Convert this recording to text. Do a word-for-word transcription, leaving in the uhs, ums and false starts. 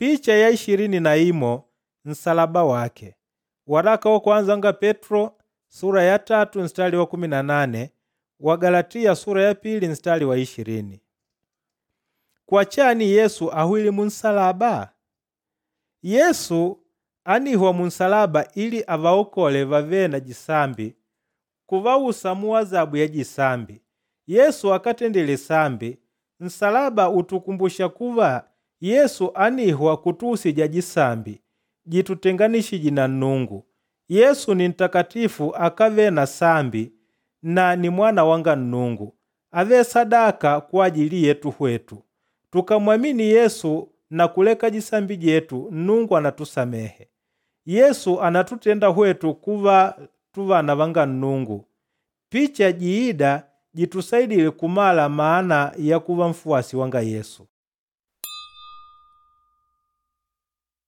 Picha ya ishirini na imo nsalaba wake. Waraka wa kwanza wanga Petro sura ya tatu mstari wa kumi na nane Wagalatiya sura ya pili mstari wa ishirini. Kwa chani Yesu ahwile munsalaba? Yesu ánihwa munsalaba ili avaokole vavêle na jisambi kuvausa muazabu ya jisambi. Yesu akátendile sambi. Nsalaba ùtukumbusha kuva Yesu ánihwa kutuusija jisambi jitutenganishîje na Nnungu. Yesu ni ntakatifu akávele na sambi na ni Mwana wanga Nnungu. Ávele sadaka kwajili yetu hwetu. Tukàmmwamini Yesu na kuleka jisambi dyetu, Nnungu ànatusamehe. Yesu ànatutenda hwetu kuva tuvana vanga Nnungu. Picha jiîda jitusaidîle kumala maana ya kuva nfuwasi wanga Yesu.